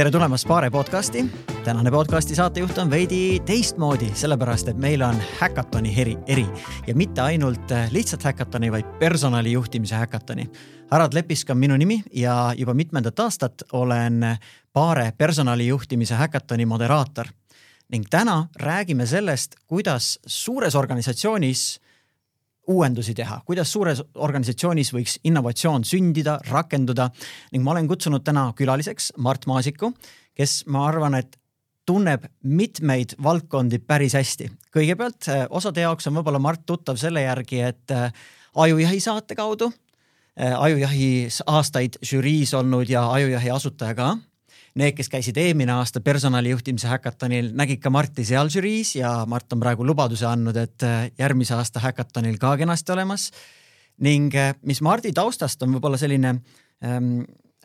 Tere tulemast Paare podcasti. Tänane podcasti saatejuht on veidi teistmoodi, sellepärast, et meil on häkatoni eri ja mitte ainult lihtsalt häkatoni, vaid personalijuhtimise häkatoni. Harald Lepisk on minu nimi ja juba mitmendat aastat olen Paare personalijuhtimise häkatoni moderaator. Ning täna räägime sellest, kuidas suures organisatsioonis uuendusi teha, kuidas suures organisatsioonis võiks innovatsioon sündida, rakenduda ning ma olen kutsunud täna külaliseks Mart Maasiku, kes ma arvan, et tunneb mitmeid valdkondi päris hästi. Kõigepealt osade jaoks on võib-olla Mart tuttav selle järgi, et Ajujahi saate kaudu, Ajujahi aastaid žüriis olnud ja Ajujahi asutaja ka. Need, kes käisid eelmine aasta personalijuhtimise häkatonil, nägid ka Marti seal žüriis ja Mart on praegu lubaduse andnud, et järgmise aasta häkatonil ka kenasti olemas. Ning mis Mardi taustast on võib-olla selline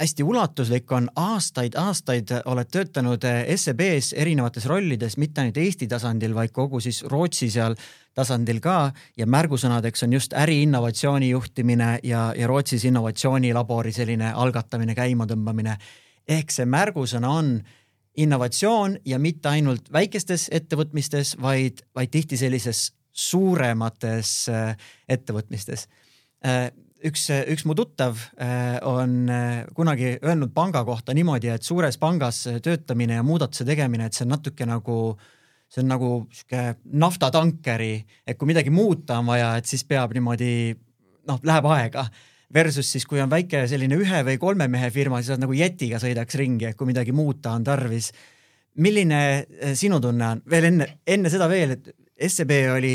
hästi ulatuslik, on aastaid oled töötanud SEBs erinevates rollides, mitte ainult Eesti tasandil, vaid kogu siis Rootsi seal tasandil ka ja märgusõnadeks on just äriinnovatsiooni juhtimine ja Rootsis innovatsioonilabori selline algatamine, käimatõmbamine. Ehk see märgusõna on innovatsioon ja mitte ainult väikestes ettevõtmistes, vaid tihti sellises suuremates ettevõtmistes. Üks mu tuttav on kunagi öelnud panga kohta niimoodi, et suures pangas töötamine ja muudatuse tegemine, et see on natuke nagu naftatankeri, et kui midagi muuta on vaja, et siis peab niimoodi, läheb aega. Versus siis, kui on väike selline 1 või 3 mehe firma, siis nagu jetiga sõidaks ringi, kui midagi muuta on tarvis. Milline sinu tunne on? Veel enne seda veel, et SEB oli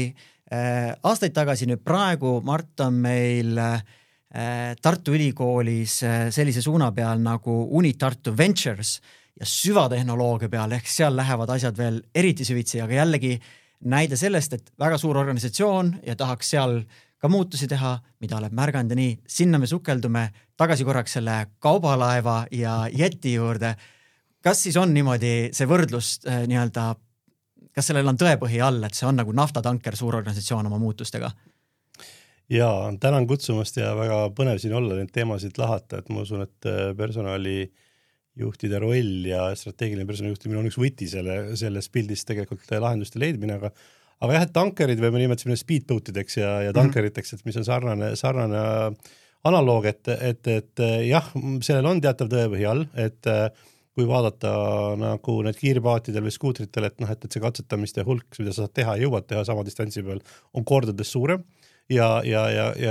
aastaid tagasi, nüüd praegu Mart on meil Tartu Ülikoolis sellise suuna peal nagu Unitartu Ventures ja süvatehnoloogia peal, ehk seal lähevad asjad veel eriti süvitsi, aga jällegi näide sellest, et väga suur organisatsioon ja tahaks seal ka muutusi teha, mida oleb märganud ja nii. Sinna me sukeldume tagasi korraks selle kaubalaeva ja jeti juurde. Kas siis on niimoodi see võrdlus kas sellel on tõepõhi all, et see on nagu naftatanker suur organisatsioon oma muutustega? Jaa, tänan kutsumast ja väga põnev siin olla neid teemasid lahata, et ma usun, et personalijuhtide roll ja strateegiline personalijuhtimine on üks võti selles pildis tegelikult lahenduste leidmine, aga jah, et tankerid või me nimetasime speedboatideks ja tankeriteks, et mis on sarnane analoog, et jah, sellel on teatav tõepõhi all, et kui vaadata nagu need kiirpaatidel või skuutritel, et see katsetamiste hulk, mida sa saad teha ja jõuad teha sama distantsi peal, on kordades suurem ja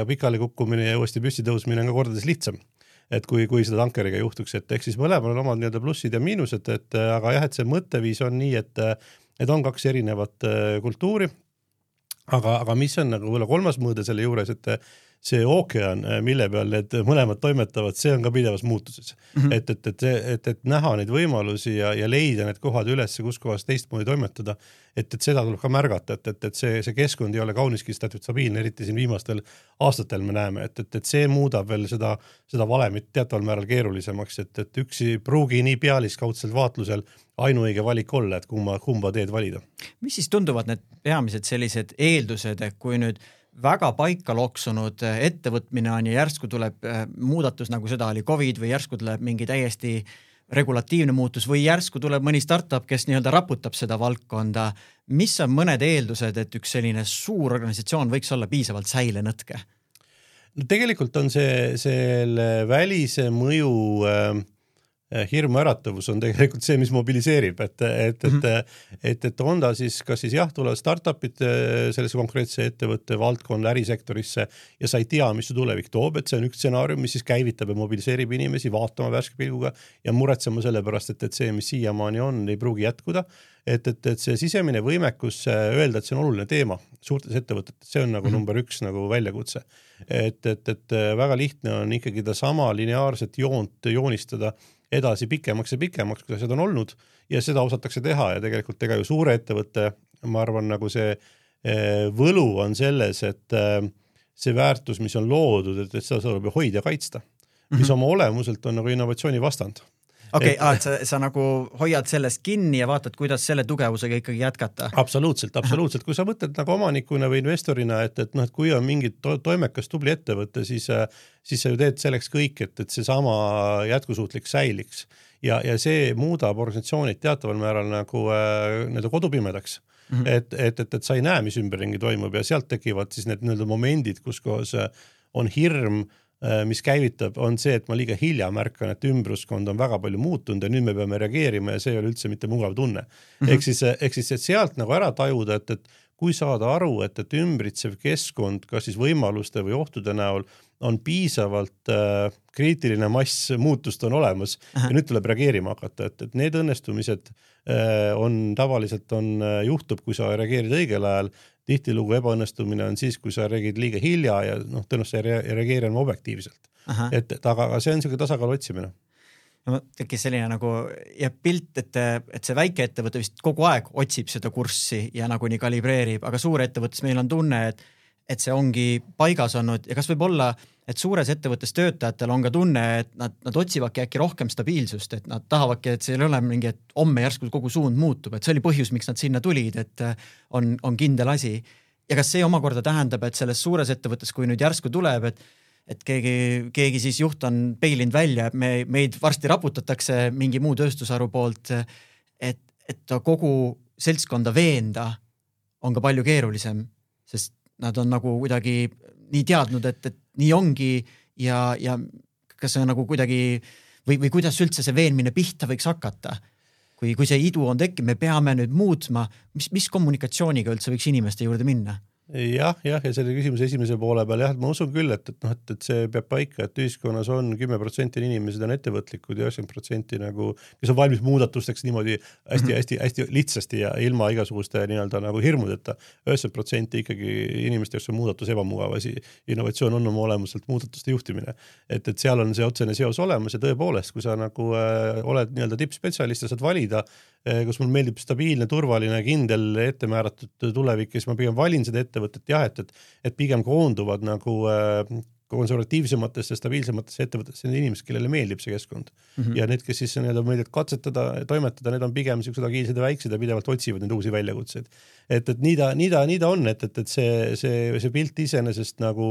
pikali kukkumine ja uuesti püsti tõusmine on ka kordades lihtsam. Et kui seda tankeriga juhtuks, et ehk siis mõlemal on omad plussid ja miinused, aga jah, et see mõtteviis on nii, et on 2 erinevat kultuuri, aga mis on nagu kolmas mõõde selle juures, et see ookean, mille peal need mõlemad toimetavad, see on ka pidevas muutuses. Et näha neid võimalusi ja leida need kohad üles, kus kohas teistmoodi toimetada, et seda tuleb ka märgata, et see keskkond ei ole kauniski stabiilne, eriti siin viimastel aastatel me näeme, et see muudab veel seda valemit teataval määral keerulisemaks, et üksi pruugi nii pealiskaudselt vaatlusel ainuõige valik olla, et kumba teed valida. Mis siis tunduvad need peamised sellised eeldused, et kui nüüd väga paika loksunud ettevõtmine on ja järsku tuleb muudatus, nagu seda oli COVID või järsku tuleb mingi täiesti regulatiivne muutus või järsku tuleb mõni startup, kes raputab seda valdkonda. Mis on mõned eeldused, et üks selline suur organisatsioon võiks olla piisavalt säilenõtke? No tegelikult on selle välise mõju hirmu äratavus on tegelikult see, mis mobiliseerib, et on ta siis, kas siis jah, tulevad startupid sellesse konkreetse ettevõtte valdkonna ärisektorisse ja sa ei tea, mis su tulevik toob, et see on üks stsenaarium, mis siis käivitab ja mobiliseerib inimesi vaatama värske pilguga ja muretsema selle pärast, et see, mis siiamaani on, ei pruugi jätkuda, et see sisemine võimekus öelda, et see on oluline teema suurtes ettevõtetes, see on nagu number 1 nagu väljakutse, et väga lihtne on ikkagi ta sama lineaarset joont joonistada edasi pikemaks ja pikemaks, kuidas seda on olnud ja seda osatakse teha ja tegelikult ju suure ettevõtte, ma arvan, nagu see võlu on selles, et see väärtus, mis on loodud, et seda tuleb hoida ja kaitsta, mis oma olemuselt on nagu innovatsiooni vastand. Okei, et sa nagu hoiad sellest kinni ja vaatad, kuidas selle tugevusega ikkagi jätkata. Absoluutselt. Kui sa mõtled nagu omanikuna või investorina, et kui on mingi toimekas tubli ettevõte, siis sa ju teed selleks kõik, et see sama jätkusuutlik säiliks. Ja see muudab organisatsioonid teataval määral nagu kodupimedaks. Et sa ei näe, mis ümberringi toimub ja sealt tekivad siis need momendid, kus kohas on hirm, mis käivitab, on see, et ma liiga hilja märkan, et ümbruskond on väga palju muutunud ja nüüd me peame reageerima ja see ei ole üldse mitte mugav tunne. Ehk siis, et sealt nagu ära tajuda, et kui saada aru, et ümbritsev keskkond, kas siis võimaluste või ohtude näol on piisavalt kriitiline mass muutust on olemas ja nüüd tuleb reageerima hakata, et need õnnestumised tavaliselt juhtub, kui sa reageerid õigel ajal, tihtilugu ebaõnnestumine on siis, kui sa reageerid liiga hilja ja tõenäoliselt ei reageeri objektiivselt. Aga see on selline tasakaalu otsimine. Tekkis selline nagu pilt, et see väike ettevõte vist kogu aeg otsib seda kurssi ja nagu nii kalibreerib, aga suur ettevõttes meil on tunne, et see ongi paigas olnud ja kas võib olla, et suures ettevõttes töötajatel on ka tunne, et nad otsivadki äkki rohkem stabiilsust, et nad tahavadki, et see ei ole mingi, et homme järsku kogu suund muutub, et see oli põhjus, miks nad sinna tulid, et on kindel asi. Ja kas see omakorda tähendab, et selles suures ettevõttes, kui nüüd järsku tuleb, et keegi siis juht on peilinud välja, meid varsti raputatakse mingi muu tööstusharu poolt, et kogu seltskonda veenda on ka palju keerulisem, sest nad on nagu kuidagi nii teadnud, et nii ongi ja kas see on nagu kuidagi või kuidas üldse see veenmine pihta võiks hakata? Kui see idu on tekkinud, me peame nüüd muutma, mis kommunikatsiooniga üldse võiks inimeste juurde minna? Ja selle küsimuse esimese poole peal, ma usun küll, et see peab paika, et ühiskonnas on 10% inimesed on ettevõtlikud ja 90% nagu, kes on valmis muudatusteks niimoodi hästi lihtsasti ja ilma igasuguste nagu hirmudeta. 90% ikkagi inimeste, kes on muudatus ebamugav asi. Innovatsioon on oma olemuselt muudatuste juhtimine. Et seal on see otsene seos olemas ja tõepoolest, kui sa nagu oled tippspetsialist ja saad valida, kus mul meeldib stabiilne, turvaline, kindel, ettemääratud tulevik, siis ma pigem valin seda ettevõtet et pigem koonduvad nagu konservatiivsematesse, stabiilsematesse ettevõtetesse need inimesed, kellele meeldib see keskkond. Ja need, kes siis meeldivad katsetada, toimetada, need on pigem sellised agiilsed ja väiksed ja pidevalt otsivad neid uusi väljakutseid. Et nii ta on, et see pilt iseenesest nagu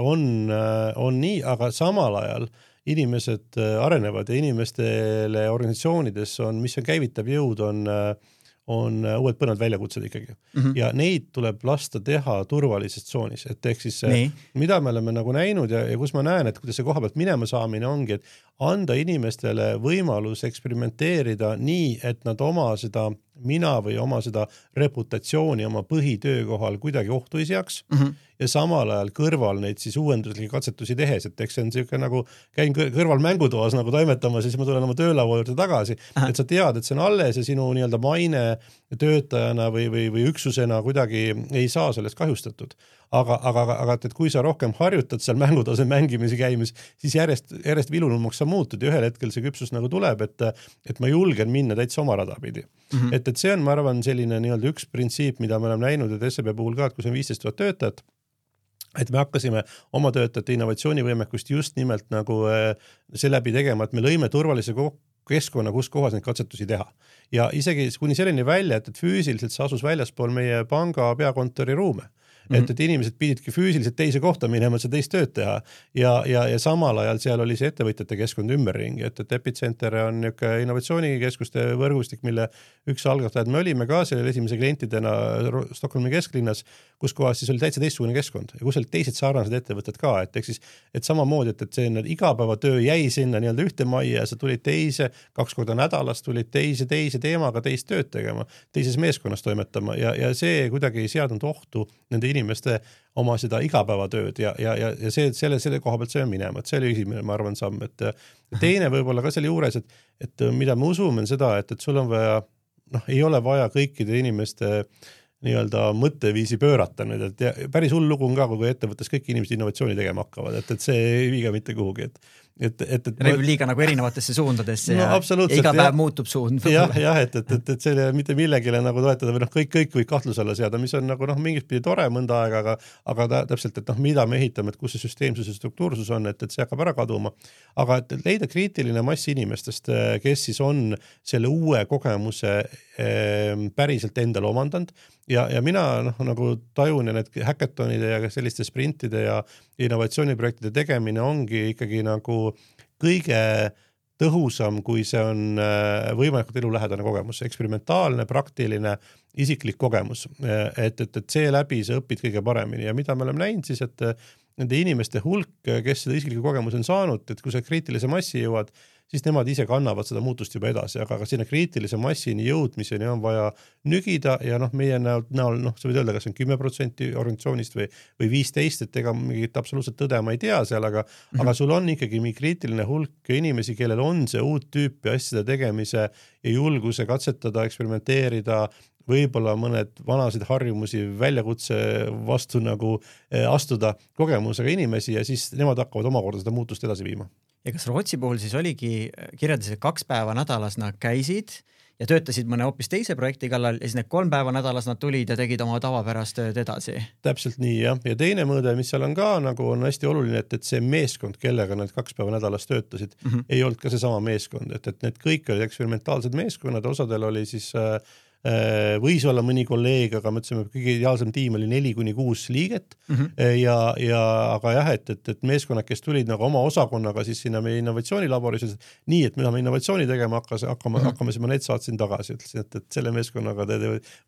on nii, aga samal ajal inimesed arenevad ja inimestele organisatsioonides mis on käivitab jõud, on uued põnevad väljakutsed ikkagi. Ja neid tuleb lasta teha turvalises tsoonis. Et ehk siis, mida me oleme nagu näinud ja kus ma näen, et kuidas see koha pealt minema saamine ongi, et anda inimestele võimalus eksperimenteerida nii, et nad oma seda või oma seda reputatsiooni oma põhitöökohal kuidagi ohtu ei seaks ja samal ajal kõrval neid siis uuenduslikke katsetusi tehes, et eks see on selline nagu käin kõrval mängutoas nagu toimetamas ja siis ma tulen oma töölaua juurde tagasi, et sa tead, et see on alles ja sinu maine töötajana või üksusena kuidagi ei saa sellest kahjustatud. Aga et kui sa rohkem harjutad seal mängutase mängimisi käimis, siis järjest vilunumaks sa muutud ja ühel hetkel see küpsus nagu tuleb, et ma julgen minna täitsa oma rada pidi. Et see on, ma arvan, selline üks printsiip, mida me oleme näinud, et SEB puhul ka, et kui see on 15 000 töötajat, et me hakkasime oma töötajate innovatsioonivõimekust just nimelt nagu seeläbi tegema, et me lõime turvalise keskkonna, kus kohas neid katsetusi teha. Ja isegi kuni selleni välja, et füüsiliselt see asus väljaspool meie panga peakontori ruume. Et inimesed pididki füüsiliselt teise kohta minema, et see teist tööd teha ja samal ajal seal oli see ettevõtjate keskkond ümberringi, et Epicenter on innovatsioonikeskuste võrgustik, mille üks algatajad me olime ka selle esimese klientidena Stockholmi kesklinnas, kus kohas siis oli täitsa teistsugune keskkond ja kus olid teised sarnased ettevõtted ka, et samamoodi, et see igapäevatöö jäi sinna ühte majja ja sa tulid teise, 2 korda nädalas tulid teise teemaga teist tööd tegema, teises meeskonnas toimetama ja see kuidagi ei seadnud ohtu nende inimeste oma seda igapäevatööd ja selle koha pealt see on minema, et see oli esimene, ma arvan, samm, et teine võib-olla ka selle juures, et mida me usume on seda, et sul on vaja, ei ole vaja kõikide inimeste mõtteviisi pöörata nüüd, et päris hull lugu on ka, kui ettevõttes kõik inimesed innovatsiooni tegema hakkavad, et see ei viiga mitte kuhugi, Reib liiga nagu erinevatesse suundadesse ja iga päev muutub suund. Jah, et selle mitte millegile nagu toetada või kõik või kahtluse alla seada, mis on nagu mingit pidi tore mõnda aega, aga täpselt, et mida me ehitame, et kus see süsteemsus ja struktuursus on, et see hakkab ära kaduma. Aga et leida kriitiline mass inimestest, kes siis on selle uue kogemuse päriselt endale omandanud ja mina nagu tajun ja need hackathonide ja selliste sprintide ja innovatsiooniprojektide tegemine ongi ikkagi nagu kõige tõhusam, kui see on võimalikult elulähedane kogemus, eksperimentaalne, praktiline, isiklik kogemus, et see läbi sa õpid kõige paremini ja mida me oleme näinud siis, et nende inimeste hulk, kes seda isikliku kogemus on saanud, et kui sa kriitilise massi jõuad, siis nemad ise kannavad seda muutust juba edasi, aga sinna kriitilise massini jõudmiseni on vaja nügida ja meie näol, sa võid öelda, kas on 10% organisatsioonist või 15%, et ega mingit absoluutselt tõde ma ei tea seal, aga sul on ikkagi mingi kriitiline hulk inimesi, kellel on see uut tüüpi asjade tegemise ja julguse katsetada, eksperimenteerida, võib-olla mõned vanasid harjumusi väljakutse vastu nagu astuda kogemusega inimesi ja siis nemad hakkavad omakorda seda muutust edasi viima. Ja kas Rootsi puhul siis oligi kirjeldasid 2 päeva nädalas nad käisid ja töötasid mõne hoopis teise projekti kallal ja siis need 3 päeva nädalas nad tulid ja tegid oma tavapärast tööd edasi? Täpselt nii, jah. Ja teine mõõde, mis seal on ka nagu on hästi oluline, et see meeskond, kellega nad 2 päeva nädalas töötasid, ei olnud ka see sama meeskond, et need kõik olid eksperimentaalsed meeskonnad, osadel oli siis võis olla mõni kolleeg, aga me ütlesime, kõige ideaalsem tiim oli 4-6 liiget aga jah, et meeskonnad, kes tulid nagu oma osakonnaga siis sinna meie innovatsioonilaboris, nii, et me tahame innovatsiooni tegema, hakkame siis ma need saatsin tagasi, ütlesin, et selle meeskonnaga te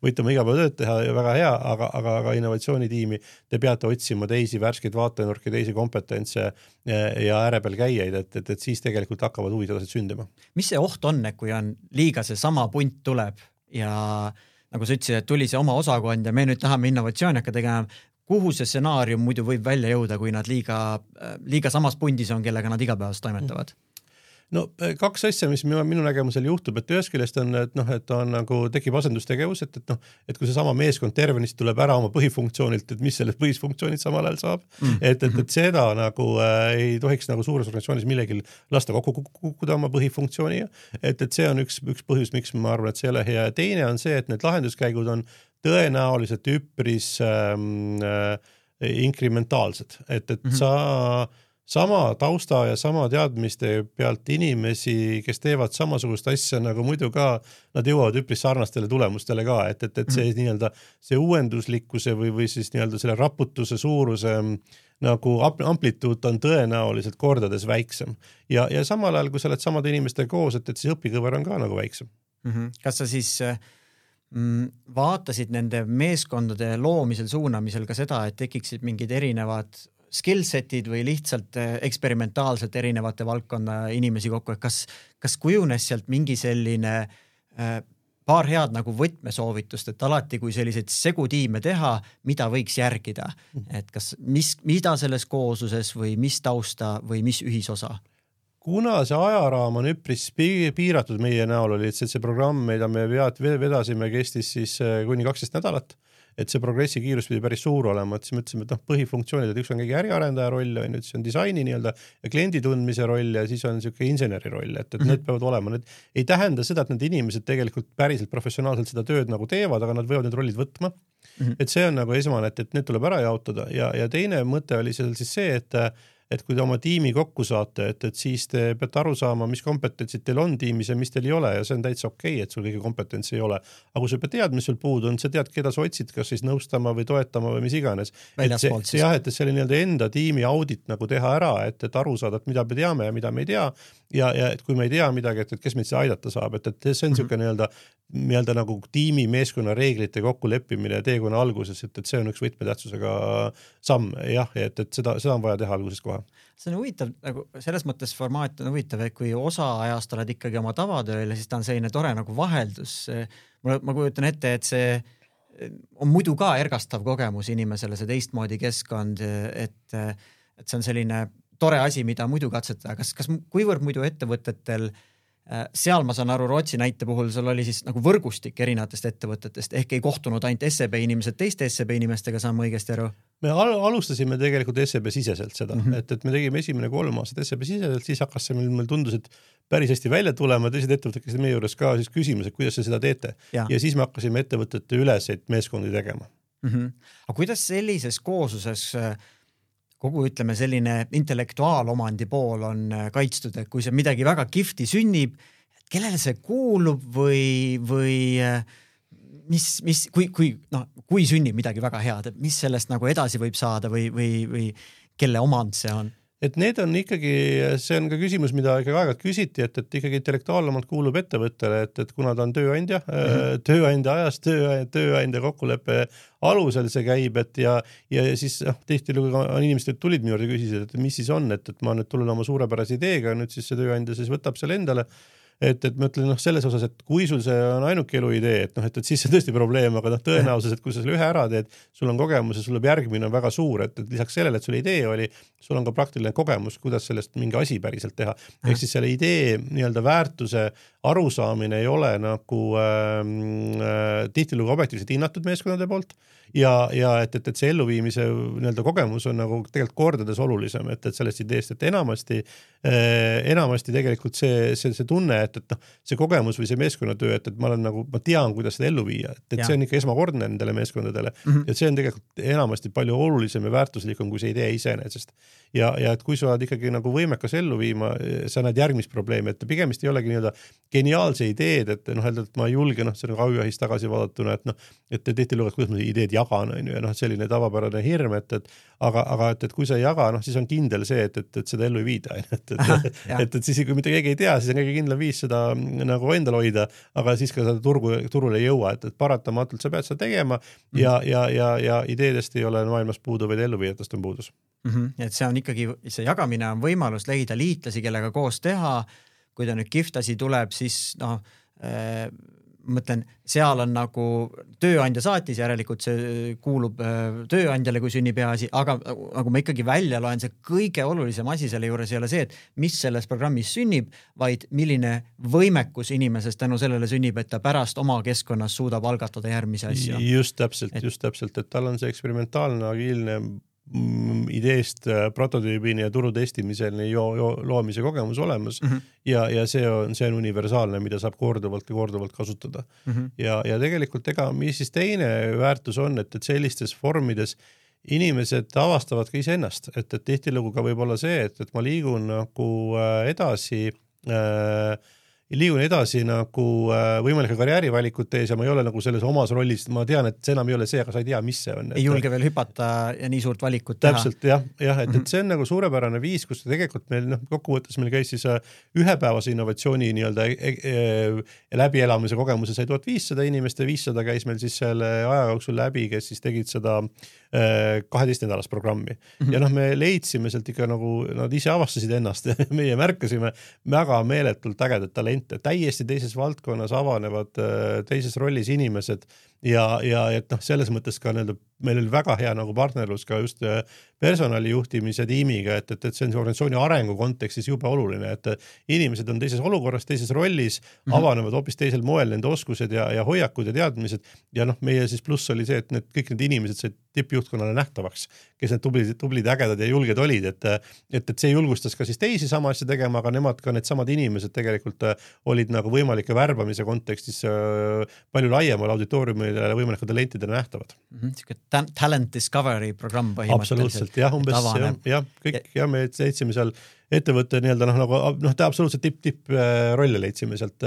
võite oma igapäevatööd teha ja väga hea, aga innovatsioonitiimi te peate otsima teisi värskeid vaatenurki, teisi kompetentse ja äärepeal käijaid, et siis tegelikult hakkavad huvid edasi sündima. Mis see oht on, kui on liiga see sama punt tuleb ja nagu sa ütlesid, et tuli see oma osakond ja me nüüd tahame innovatsiooni hakka tegema, kuhu see stsenaarium muidu võib välja jõuda, kui nad liiga samas pundis on, kellega nad igapäevast toimetavad? No 2 asja, mis minu nägemusel juhtub, et ühest küljest on, et on nagu tekib asendustegevus, et kui see sama meeskond tervenist tuleb ära oma põhifunktsioonilt, et mis sellest põhifunktsioonid samal ajal saab, et seda nagu ei tohiks nagu suures organisatsioonis millegil lasta kokku kukkuda oma põhifunktsiooniga, et see on üks põhjus, miks ma arvan, et see ei ole hea. Teine on see, et need lahenduskäigud on tõenäoliselt üpris inkrementaalsed, et sa sama tausta ja sama teadmiste pealt inimesi, kes teevad samasugust asja nagu muidu ka, nad jõuavad üpris sarnastele tulemustele ka, et see nii-öelda see uuenduslikkuse või siis nii-öelda selle raputuse suuruse nagu amplituud on tõenäoliselt kordades väiksem. Ja samal ajal, kui sa oled samade inimestega koos, et siis õpikõver on ka nagu väiksem. Kas sa siis vaatasid nende meeskondade loomisel, suunamisel ka seda, et tekiksid mingid erinevad skillsetid või lihtsalt eksperimentaalselt erinevate valdkonna inimesi kokku, et kas kujunes sealt mingi selline paar head nagu võtmesoovitust, et alati kui selliseid segutiime teha, mida võiks järgida, et kas mida selles koosluses või mis tausta või mis ühisosa? Kuna see ajaraam on üpris piiratud meie näol oli, et see programm, mida me vedasime, kestis siis kuni 12 nädalat, et see progressi kiirus pidi päris suur olema, et siis mõtlesime, et põhifunktsioonid, et üks on kõige äriarendaja roll, siis on disaini nii-öelda ja kliendi tundmise roll ja siis on niisugune inseneri roll, et need peavad olema. Need ei tähenda seda, et need inimesed tegelikult päriselt professionaalselt seda tööd nagu teevad, aga nad võivad need rollid võtma. Et see on nagu esmane, et need tuleb ära jaotada ja teine mõte oli seal siis see, et kui te oma tiimi kokku saate, et siis te peate aru saama, mis kompetentsid teil on tiimis ja mis teil ei ole ja see on täitsa okei, et sul kõige kompetentsi ei ole. Aga kui sa pead tead, mis sul puudu on, sa tead, keda sa otsid, kas siis nõustama või toetama või mis iganes. Et see oli nii-öelda enda tiimi audit nagu teha ära, et aru saada, et mida me teame ja mida me ei tea ja et kui me ei tea midagi, et kes meid aidata saab, et see on niisugune nii-öelda nagu tiimi meeskonna reeglite kokkuleppimine teekonna alguses, et see on üks võtmetähtsusega samm, jah, et seda on vaja teha alguses kohe. See on huvitav, nagu selles mõttes formaat on huvitav, et kui osa ajast oled ikkagi oma tavatööl, siis ta on selline tore nagu vaheldus. Ma kujutan ette, et see on muidu ka ergastav kogemus inimesele, see teistmoodi keskkond, et see on selline tore asi, mida muidu katsetada. Kas kuivõrd muidu ettevõtetel seal ma saan aru Rootsi näite puhul, sul oli siis nagu võrgustik erinevatest ettevõtetest, ehk ei kohtunud ainult SEB inimesed teiste SEB inimestega, saan ma õigesti aru? Me alustasime tegelikult SEB siseselt seda, et me tegime esimene 3 aastat SEB siseselt, siis hakkas see meil tundus, et päris hästi välja tulema, teised ettevõtted käisid meie juures ka siis küsimus, et kuidas te seda teete. Ja siis me hakkasime ettevõtete üleseid meeskondi tegema. Aga kuidas sellises koosluses kogu, ütleme, selline intellektuaalomandi pool on kaitstud, et kui see midagi väga kihvti sünnib, kellele see kuulub või kui sünnib midagi väga head, et mis sellest nagu edasi võib saada või kelle omand see on? Et need on ikkagi, see on ka küsimus, mida ikkagi aeg-ajalt küsiti, et ikkagi intellektuaalomand kuulub ettevõttele, et kuna ta on tööandja, tööandja ajast, tööandja kokkuleppe alusel see käib, et ja siis tihtilugu on inimesed tulid minu juurde ja küsisid, et mis siis on, et ma nüüd tulen oma suurepärase ideega, nüüd siis see tööandja siis võtab selle endale. Et ma ütlen selles osas, et kui sul see on ainuke eluidee, et siis see tõesti probleem, aga tõenäosus, et kui sa selle ühe ära teed, sul on kogemus ja sul järgmine on väga suur, et lisaks sellele, et sul idee oli, sul on ka praktiline kogemus, kuidas sellest mingi asi päriselt teha. Ehk siis selle idee nii-öelda väärtuse arusaamine ei ole nagu tihtilugu objektiivselt hinnatud meeskonnade poolt ja et see elluviimise nii-öelda kogemus on nagu tegelikult kordades olulisem, et sellest ideest, et enamasti tegelikult see tunne, et see kogemus või see meeskonnatöö, et ma tean, kuidas seda ellu viia, et see on ikka esmakordne nendele meeskondadele ja see on tegelikult enamasti palju olulisem ja väärtuslikum kui see idee iseenesest. Ja et kui sa oled ikkagi nagu võimekas ellu viima, sa näed järgmist probleemi, et pigemist ei olegi nii-öelda geniaalse ideed, et ma ei julge, see on aujuhist tagasi vaadatuna, et tihti lugevad, kuidas ma ideed jagan, ja selline tavapärane hirm, aga kui sa ei jaga, siis on kindel see, et seda ellu ei viida, et siis kui mitte keegi ei tea, siis on kõige kindlam viis seda nagu endal hoida, aga siis ka seda turule ei jõua, et paratamatult sa pead seda tegema ja ideedest ei ole maailmas puudu, vaid elluviijatest on puudus. Et see on ikkagi, see jagamine on võimalus leida liitlasi, kellega koos teha, kui ta nüüd kiftasi tuleb, siis mõtlen, seal on nagu tööandja saatis, järelikult see kuulub tööandjale, kui sünnib hea asi, aga nagu ma ikkagi välja loen, see kõige olulisem asi selle juures ei ole see, et mis selles programmis sünnib, vaid milline võimekus inimesest tänu sellele sünnib, et ta pärast oma keskkonnas suudab algatada järgmise asju. Just täpselt, et tal on see eksperimentaalne, agiilne ideest prototüübini ja turu testimiseni loomise kogemus olemas ja see on universaalne, mida saab korduvalt kasutada. Ja tegelikult mis siis teine väärtus on, et sellistes vormides inimesed avastavad ka iseennast, et tihtilugu ka võib olla see, et ma liigun nagu edasi nagu võimalike karjäärivalikut tees ja ma ei ole nagu selles omas rollis, ma tean, et see enam ei ole see, aga sa ei tea, mis see on. Ei julge veel hüpata ja nii suurt valikut teha. Täpselt, jah, et see on nagu suurepärane viis, kus tegelikult meil kokkuvõttes meil käis siis ühepäevase innovatsiooni nii-öelda läbielamise kogemuse sai 1500 inimest ja 500 käis meil siis selle aja jooksul läbi, kes siis tegid seda 12 nädalast programmi. Ja me leidsime sealt ikka nagu, nad ise avastasid ennast ja meie märkasime väga meeletult ägedat talente, täiesti teises valdkonnas avanevad teises rollis inimesed ja et selles mõttes ka meil oli väga hea nagu partnerlus ka just personalijuhtimise tiimiga, et see on organisatsiooni arengu kontekstis jube oluline, et inimesed on teises olukorras, teises rollis, avanevad hoopis teisel moel nende oskused ja hoiakud ja teadmised ja meie siis pluss oli see, et kõik need inimesed said tippjuhtkonnale nähtavaks, kes need tublid, ägedad ja julged olid, et see julgustas ka siis teisi sama asja tegema, aga nemad ka need samad inimesed tegelikult olid nagu võimalike värbamise kontekstis palju laiemal auditooriumile võimalike talentidele nähtavad. Talent discovery programm põhimõtteliselt. Absoluutselt, jah, umbes, me leidsime seal ettevõtte ta absoluutselt tipp rolle leidsime sealt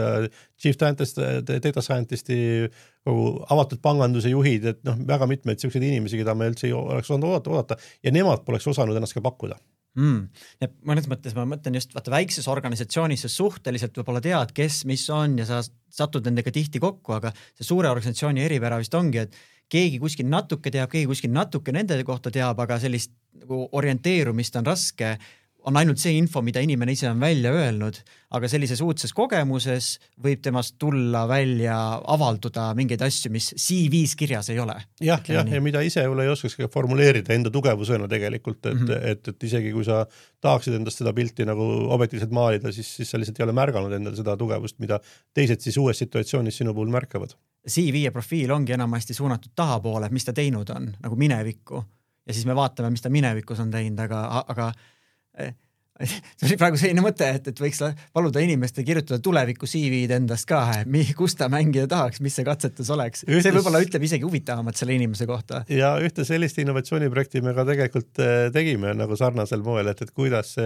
chief data scientisti, avatud panganduse juhid, et väga mitmeid selliseid inimesi, keda me üldse ei oleks oodata ja nemad poleks osanud ennast ka pakkuda. Ja mõnes mõttes ma mõtlen just väikses organisatsioonis suhteliselt võib-olla tead, kes, mis on ja sa satud nendega tihti kokku, aga see suure organisatsiooni eripära vist ongi, et keegi kuskil natuke teab, keegi kuskil natuke nende kohta teab, aga sellist nagu orienteerumist on raske on ainult see info, mida inimene ise on välja öelnud, aga sellises uudses kogemuses võib temast tulla välja, avalduda mingeid asju, mis CV-s kirjas ei ole. Ja mida ise ei oskaks formuleerida enda tugevusena tegelikult, et isegi kui sa tahaksid endast seda pilti nagu objektiivselt maalida, siis sa lihtsalt ei ole märganud endal seda tugevust, mida teised siis uues situatsioonis sinu puhul märkavad. CV ja profiil ongi enamasti suunatud tahapoole, mis ta teinud on, nagu minevikku. Ja siis me vaatame, mis ta minevikus on teinud, aga see oli praegu selline mõte, et võiks paluda inimeste kirjutada tuleviku CV-d endast ka, kus ta mängida tahaks, mis see katsetus oleks. See võib-olla ütleb isegi huvitavamat selle inimese kohta. Ja ühte sellist innovatsiooniprojekti me ka tegelikult tegime nagu sarnasel moel, et kuidas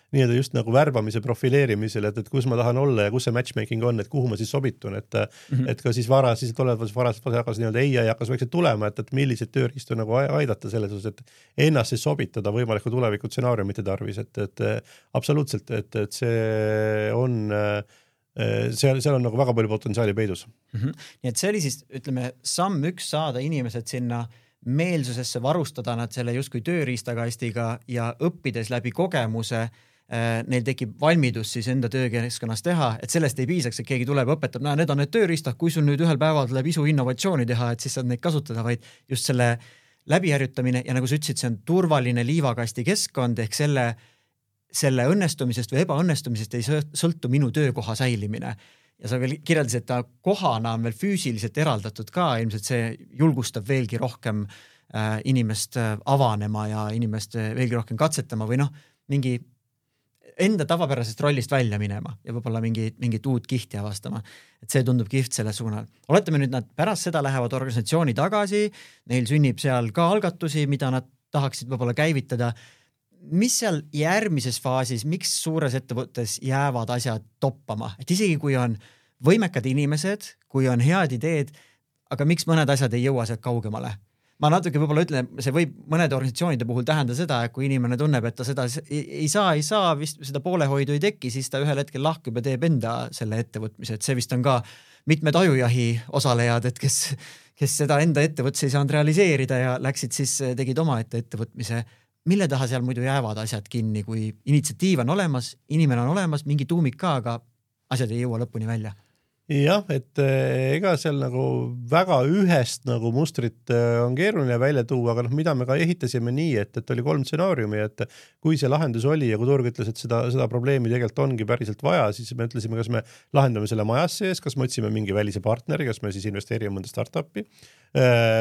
nii-öelda just nagu värbamise profileerimisel, et kus ma tahan olla ja kus see matchmaking on, et kuhu ma siis sobitun, et ka siis varas hakkas nii-öelda AI hakkas vaikselt tulema, et millised tööriistu nagu aidata selles osas, et ennast siis sobitada võimaliku tuleviku stsenaariumite tarvis, et absoluutselt, et see on seal on nagu väga palju potentsiaali peidus. Nii et see oli siis, ütleme, samm 1 saada inimesed sinna meelsusesse, varustada nad selle justkui tööriistakastiga ja õppides läbi kogemuse neil tekib valmidus siis enda töökeskkonnas teha, et sellest ei piisaks, et keegi tuleb õpetab, need on need tööriistad, kui sul nüüd ühel päeval tuleb isu innovatsiooni teha, et siis saad neid kasutada, vaid just selle läbiharjutamine ja nagu sa ütlesid, see on turvaline liivakasti keskkond ehk selle õnnestumisest või ebaõnnestumisest ei sõltu minu töökoha säilimine. Ja sa veel kirjeldasid, et ta kohana on veel füüsiliselt eraldatud ka, ilmselt see julgustab veelgi rohkem inimest avanema ja inimest veelgi rohkem katsetama või mingi enda tavapärasest rollist välja minema ja võib-olla mingit uut kihti avastama. Et see tundub kihvt selle suunal. Oletame nüüd, nad pärast seda lähevad organisatsiooni tagasi, neil sünnib seal ka algatusi, mida nad tahaksid võib-olla käivitada. Mis seal järgmises faasis, miks suures ettevõttes jäävad asjad toppama? Et isegi kui on võimekad inimesed, kui on head ideed, aga miks mõned asjad ei jõua sealt kaugemale? Ma natuke võib-olla ütlen, see võib mõnede organisatsioonide puhul tähenda seda, et kui inimene tunneb, et ta seda ei saa, vist seda poolehoidu ei teki, siis ta ühel hetkel lahkub ja teeb enda selle ettevõtmise. Et see vist on ka mitmed ajujahi osalejad, et kes seda enda ettevõtse ei saanud realiseerida ja läksid siis, tegid oma ettevõtmise. Mille taha seal muidu jäävad asjad kinni, kui initsiatiiv on olemas, inimene on olemas, mingi tuumik ka, aga asjad ei jõua lõpuni välja? Jah, et ega seal nagu väga ühest nagu mustrit on keeruline välja tuua, aga mida me ka ehitasime nii, et oli 3 stsenaariumi, et kui see lahendus oli ja kui turg ütles, et seda probleemi tegelikult ongi päriselt vaja, siis me ütlesime, kas me lahendame selle majas sees, kas me otsime mingi välise partneri, kas me siis investeerime mõnda startupi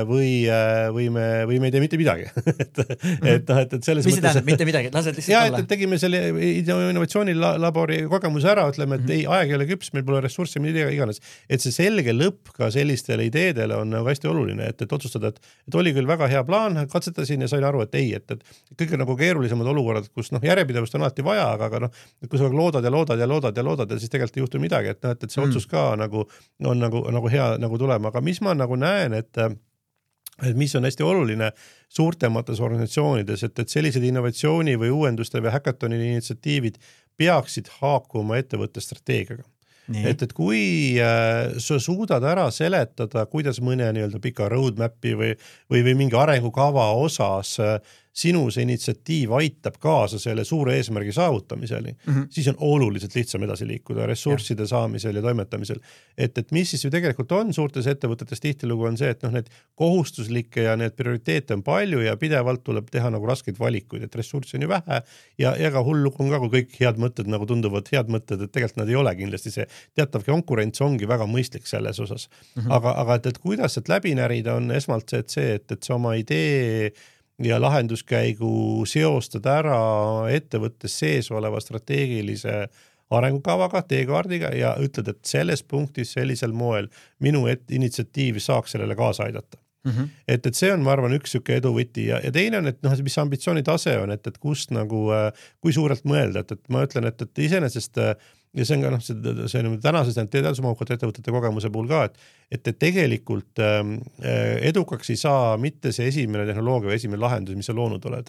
või me ei tee mitte midagi. et selles mis see tähendab, mitte midagi, lased lihtsalt olla? Et tegime selle innovatsioonilabori kogemuse ära, ütleme, et aeg ei ole küps, meil pole ressurssi, mida iganes. Et see selge lõpp ka sellistele ideedele on nagu hästi oluline, et otsustada, et oli küll väga hea plaan, katsetasin ja sain aru, et ei, et kõik nagu keerulisemad olukorrad, kus järjepidevust on alati vaja, aga kui sa loodad ja siis tegelikult ei juhtu midagi, et see otsus ka nagu on nagu hea nagu tulema, aga mis ma nagu näen, et mis on hästi oluline suurtemates organisatsioonides, et sellised innovatsiooni või uuenduste või häkatoni initsiatiivid peaksid haakuma ettevõtte strateegiaga. Et kui sa suudad ära seletada, kuidas mõne nii-öelda pika roadmapi või mingi arengukava osas sinu see initsiatiiv aitab kaasa selle suure eesmärgi saavutamisele, siis on oluliselt lihtsam edasi liikuda ressursside saamisel ja toimetamisel. Et mis siis ju tegelikult on suurtes ettevõtetes tihtilugu on see, et need kohustuslikke ja need prioriteete on palju ja pidevalt tuleb teha nagu raskeid valikuid, et ressurssi on ju vähe ja ka hullu on ka, kui kõik head mõtted nagu tunduvad head mõtted, et tegelikult nad ei ole kindlasti see teatav konkurents ongi väga mõistlik selles osas. Aga et kuidas sealt läbi närida on esmalt see, et sa oma idee ja lahenduskäigu seostad ära ettevõttes sees oleva strateegilise arengukavaga, teekaardiga ja ütled, et selles punktis sellisel moel minu initsiatiiv saaks sellele kaasa aidata. Et see on, ma arvan, üks süke eduvõti ja teine on, et mis ambitsiooni tase on, et kust nagu, kui suurelt mõelda, et ma ütlen, et iseenesest ja see on ka see on tänases teadusmahukate ettevõtete kogemuse puhul ka, et tegelikult edukaks ei saa mitte see esimene tehnoloogia või esimene lahendus, mis sa loonud oled.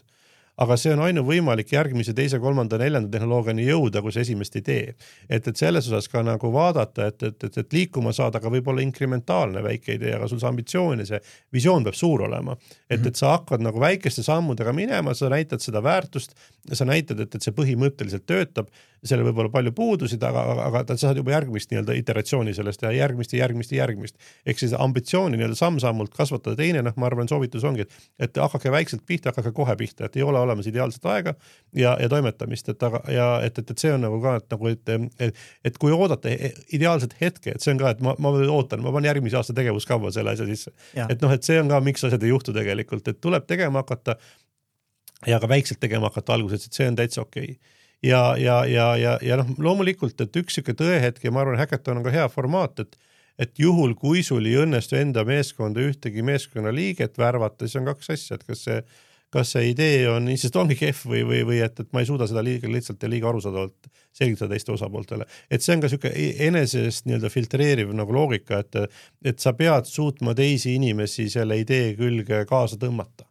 aga see on ainuvõimalik järgmise 2., 3., 4. tehnoloogiani jõuda, kui see esimest ei tee. Et selles osas ka nagu vaadata, et liikuma saada, aga võib-olla inkrementaalne väike idee, aga sul see ambitsioon ja see visioon peab suur olema. Et sa hakkad nagu väikeste sammudega minema, sa näitad seda väärtust, sa näitad, et see põhimõtteliselt töötab, selle võib olla palju puudusid, aga sa saad juba järgmist nii-öelda iteratsiooni sellest ja järgmist. Ehk siis ambitsiooni nii-öelda samm-sammult kasvatada. Teine, ma arvan, soovitus ongi, et hakake väikselt pihta, hakake kohe pihta, et ei ole olemas ideaalset aega ja toimetamist, et see on nagu ka, et kui oodata ideaalset hetke, et see on ka, et ma ootan, ma panen järgmise aasta tegevuskava selle asja sisse. Et see on ka, miks asjad ei juhtu tegelikult, et tuleb tegema hakata ja ka väikselt tegema hakata alguses, et see on täitsa okei. Ja loomulikult, et üks siuke tõehetk ja ma arvan, Hackathon on ka hea formaat, et juhul, kui sul ei õnnestu enda meeskonda ühtegi meeskonna liiget värvata, siis on 2 asja, et kas see idee on, sest ongi kehv või et ma ei suuda seda lihtsalt ja liiga arusaadavalt selgitada teiste osapooltele. Et see on ka siuke enesest nii-öelda filtreeriv nagu loogika, et sa pead suutma teisi inimesi selle idee külge kaasa tõmmata.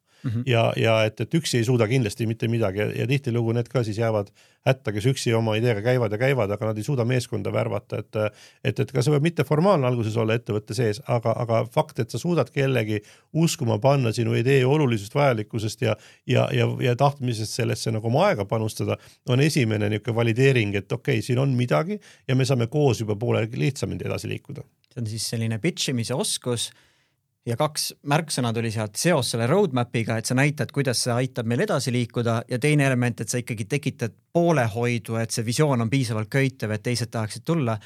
Ja et üksi ei suuda kindlasti mitte midagi ja tihtilugu need ka siis jäävad hätta, kes üksi oma ideega käivad, aga nad ei suuda meeskonda värvata, et ka see võib mitte formaalne alguses olla ettevõtte sees, aga fakt, et sa suudad kellegi uskuma panna sinu idee olulisust, vajalikkusest ja tahtmisest sellesse nagu oma aega panustada, on esimene niisugune valideering, et okei, siin on midagi ja me saame koos juba poole lihtsamini edasi liikuda. See on siis selline pitchimise oskus ja 2 märksõna tuli sealt seos selle roadmapiga, et sa näitad, kuidas see aitab meil edasi liikuda ja teine element, et sa ikkagi tekitad poolehoidu, et see visioon on piisavalt köitev, et teised tahaksid tulla.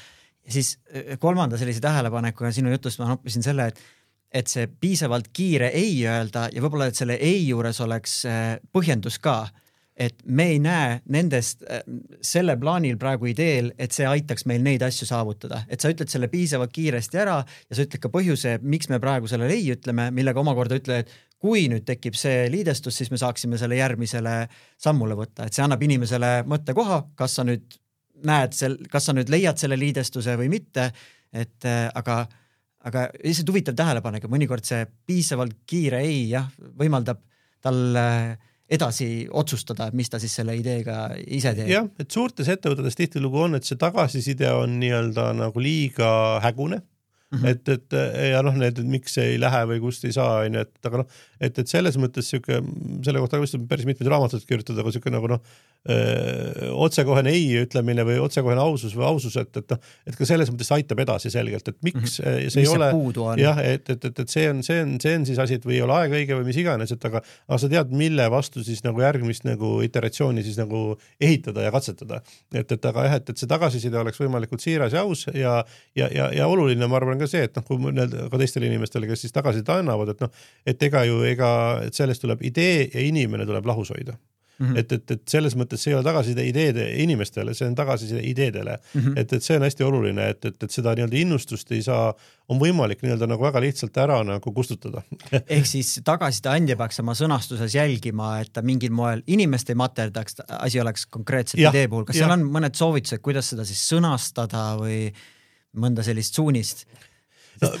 Ja siis 3. sellise tähelepanekuga sinu jutust ma noppisin selle, et see piisavalt kiire ei öelda ja võib-olla, et selle ei juures oleks põhjendus ka, et me ei näe nendest selle plaanil praegu ideel, et see aitaks meil neid asju saavutada. Et sa ütled selle piisavalt kiiresti ära ja sa ütled ka põhjuse, miks me praegu selle ei ütleme, millega omakorda ütled, et kui nüüd tekib see liidestus, siis me saaksime selle järgmisele sammule võtta. Et see annab inimesele mõttekoha, kas sa nüüd näed, kas sa nüüd leiad selle liidestuse või mitte, et aga lihtsalt huvitav tähelepanek, mõnikord see piisavalt kiire ei võimaldab tal edasi otsustada, mis ta siis selle ideega ise teeb. Jah, et suurtes ettevõtetes tihtilugu on, et see tagasiside on nii-öelda nagu liiga hägune, et need, miks ei lähe või kust ei saa, aga et selles mõttes selle kohta päris mitmed raamatud kirjutada, aga siuke nagu otsekohene ei ütlemine või otsekohene ausus või ausus, et ka selles mõttes aitab edasi selgelt, et miks see ei ole, jah, et see on siis asi, et või ei ole aeg õige või mis iganes, et aga sa tead, mille vastu siis nagu järgmist nagu iteratsiooni siis nagu ehitada ja katsetada, et see tagasiside oleks võimalikult siiras ja aus ja oluline, ma arvan ka see, et kui ka teistele inimestele, kes siis tagasiside annavad, et et sellest tuleb idee ja inimene tuleb lahus hoida. Et selles mõttes see ei ole tagasiside ideede inimestele, see on tagasiside ideedele. Et see on hästi oluline, et seda nii-öelda innustust ei saa, on võimalik nii-öelda nagu väga lihtsalt ära nagu kustutada. Ehk siis tagasiside andja peaks oma sõnastuses jälgima, et ta mingil moel inimest ei materdaks, asi oleks konkreetselt idee puhul. Kas seal on mõned soovitused, kuidas seda siis sõnastada või mõnda sellist suunist?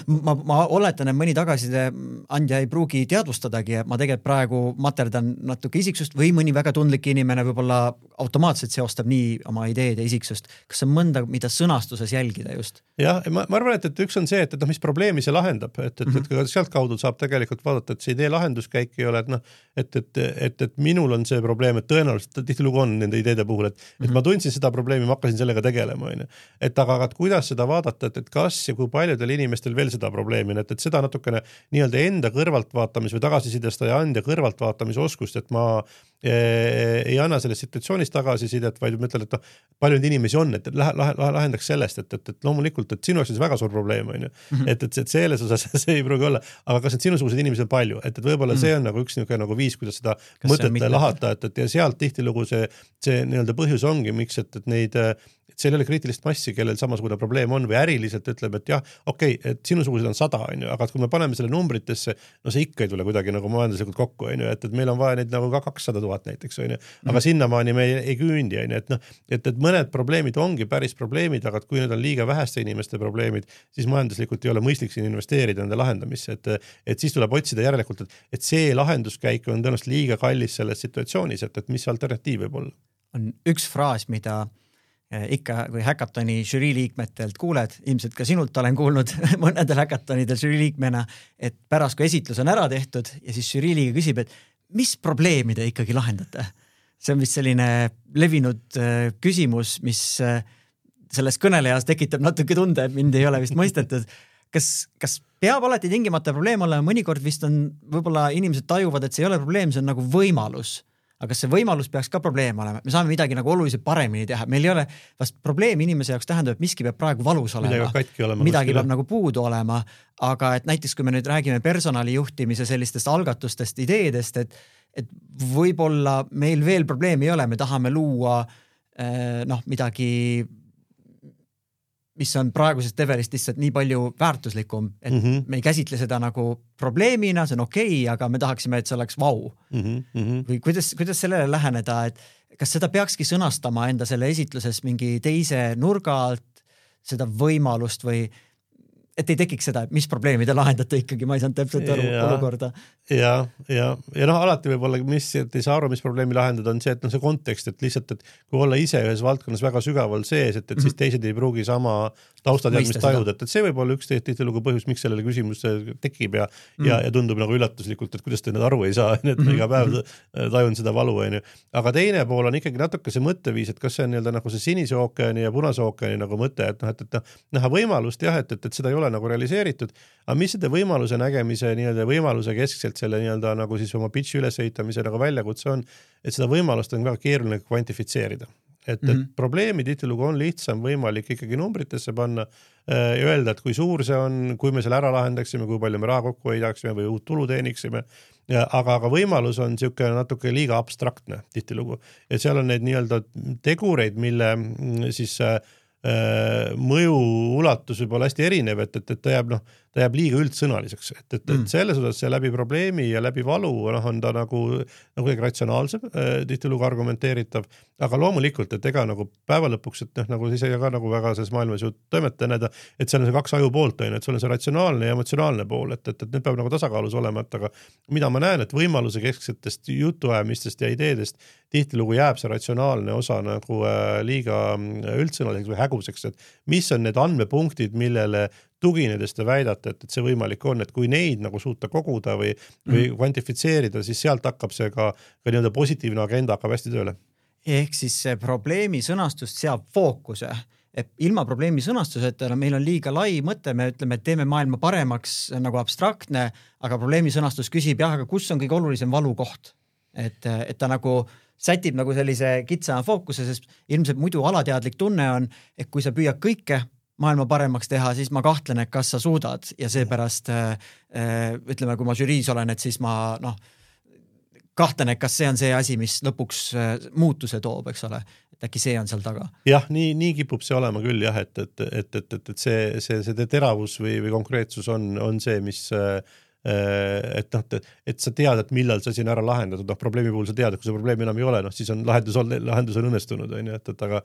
Ma oletan, et mõni tagasiside andja ei pruugi teadvustadagi, et ma tegelikult praegu materdan natuke isiksust või mõni väga tundlik inimene võib-olla automaatselt seostab nii oma ideed ja isiksust. Kas on mõnda, mida sõnastuses jälgida just? Jah, ma arvan, et üks on see, et mis probleemi see lahendab, et sealt kaudu saab tegelikult vaadata, et see idee lahenduskäik ei ole, et minul on see probleem, et tõenäoliselt tihtilugu on nende ideede puhul, et ma tundsin seda probleemi, ma hakkasin sellega tegelema. Et aga kuidas seda vaadata, et kas ja kui paljudel inimestel veel seda probleemi, et seda natukene nii-öelda enda kõrvaltvaatamis või tagasisidestaja anda kõrvaltvaatamise oskust, et ma ei anna sellest situatsioonist tagasisidet, vaid ma ütlen, et palju inimesi on, et lahendaks sellest, et loomulikult, et sinu jaoks on see väga suur probleem, et selles osas see ei pruugi olla, aga kas need sinusugused inimesed on palju, et võib-olla see on nagu üks nagu viis, kuidas seda mõtet lahata, et ja sealt tihtilugu see nii-öelda põhjus ongi, miks, et neid seal ei ole kriitilist massi, kellel samasugune probleem on või äriliselt ütleb, et jah, okei, et sinusugused on 100, on ju, aga kui me paneme selle numbritesse, no see ikka ei tule kuidagi nagu majanduslikult kokku, on ju, et meil on vaja neid nagu ka 200 000 näiteks, on ju, aga sinnamaani me ei küündi, on ju, et noh, et mõned probleemid ongi päris probleemid, aga kui need on liiga väheste inimeste probleemid, siis majanduslikult ei ole mõistlik siin investeerida nende lahendamisse, et siis tuleb otsida järelikult, et see lahenduskäik on tõenäoliselt liiga kallis selles situatsioonis, et mis alternatiiv võib olla. On üks fraas, mida ikka, kui häkatoni žürii liikmetelt kuuled, ilmselt ka sinult olen kuulnud mõnedel häkatonidel žürii liikmena, et pärast, kui esitlus on ära tehtud ja siis žürii liige küsib, et mis probleemi te ikkagi lahendate? See on vist selline levinud küsimus, mis selles kõnelejas tekitab natuke tunde, et mind ei ole vist mõistetud. Kas peab alati tingimata probleem olema? Mõnikord vist on, võib-olla inimesed tajuvad, et see ei ole probleem, see on nagu võimalus. Aga kas see võimalus peaks ka probleem olema? Me saame midagi nagu oluliselt paremini teha. Meil ei ole vast probleem inimese jaoks tähendab, et miski peab praegu valus olema. Midagi peab nagu puudu olema. Aga et näiteks, kui me nüüd räägime personalijuhtimise sellistest algatustest, ideedest, et võib-olla meil veel probleemi ei ole, me tahame luua midagi, mis on praegusest levelist lihtsalt nii palju väärtuslikum, et me ei käsitle seda nagu probleemina, see on okei, aga me tahaksime, et see oleks vau. Või kuidas sellele läheneda, et kas seda peakski sõnastama enda selle esitluses mingi teise nurga alt, seda võimalust või et ei tekiks seda, mis probleemi te lahendate ikkagi, ma ei saanud täpselt aru olukorda. Ja alati võib-olla, mis ei saa aru, mis probleemi lahendada, on see, et see kontekst, et lihtsalt, et kui olla ise ühes valdkonnas väga sügaval sees, et siis teised ei pruugi sama taustateadmist tajuda, et see võib olla üks tihtilugu põhjus, miks sellele küsimus tekib ja tundub nagu üllatuslikult, et kuidas te need aru ei saa, et iga päev tajun seda valu, on ju. Aga teine pool on ikkagi natuke see mõtteviis, et kas see on nagu see sinise ookeani ja punase ookeani nagu mõte, et näha võimalust jah, et seda ei ole nagu realiseeritud, aga mis seda võimaluse nägemise võimaluse keskselt selle nagu siis oma pitchi ülesehitamise nagu väljakutse on, et seda võimalust on väga keeruline kvantifitseerida. Et probleemi tihtilugu on lihtsam võimalik ikkagi numbritesse panna ja öelda, et kui suur see on, kui me selle ära lahendaksime, kui palju me raha kokku hoidaksime või uut tulu teeniksime, aga võimalus on siuke natuke liiga abstraktne tihtilugu. Ja seal on need tegureid, mille siis mõju ulatus võib olla hästi erinev, et ta jääb liiga üldsõnaliseks, et selles osas see läbi probleemi ja läbi valu on ta nagu ratsionaalsem, tihtilugu argumenteeritav, aga loomulikult, et ega nagu päeva lõpuks, et nagu ise ka nagu väga selles maailmas ju toimetajad, et seal on see 2 aju poolt, et sul on see ratsionaalne ja emotsionaalne pool, et need peab nagu tasakaalus olema, et aga mida ma näen, et võimaluse kesksetest jutuajamistest ja ideedest tihtilugu jääb see ratsionaalne osa nagu liiga üldsõnaliseks või häguseks, et mis on need andmepunktid, millele tuginedes te väidate, et see võimalik on, et kui neid nagu suuta koguda või kvantifitseerida, siis sealt hakkab see ka positiivne agenda hakkab hästi tööle. Ehk siis see probleemi sõnastust seab fookuse. Et ilma probleemi sõnastuseta meil on liiga lai mõte, me ütleme, et teeme maailma paremaks nagu abstraktne, aga probleemi sõnastus küsib aga kus on kõige olulisem valukoht? Et ta nagu sätib nagu sellise kitsama fookuse, sest ilmselt muidu alateadlik tunne on, et kui sa püüad kõike maailma paremaks teha, siis ma kahtlen, et kas sa suudad ja seepärast ütleme, kui ma žüriis olen, et siis ma kahtlen, et kas see on see asi, mis lõpuks muutuse toob, eks ole, et äkki see on seal taga. Jah, nii kipub see olema küll jah, et see teravus või konkreetsus on see, mis et sa tead, et millal sa siin ära lahendatud, probleemi puhul sa tead, et kui see probleemi enam ei ole, siis on lahendus on õnnestunud, aga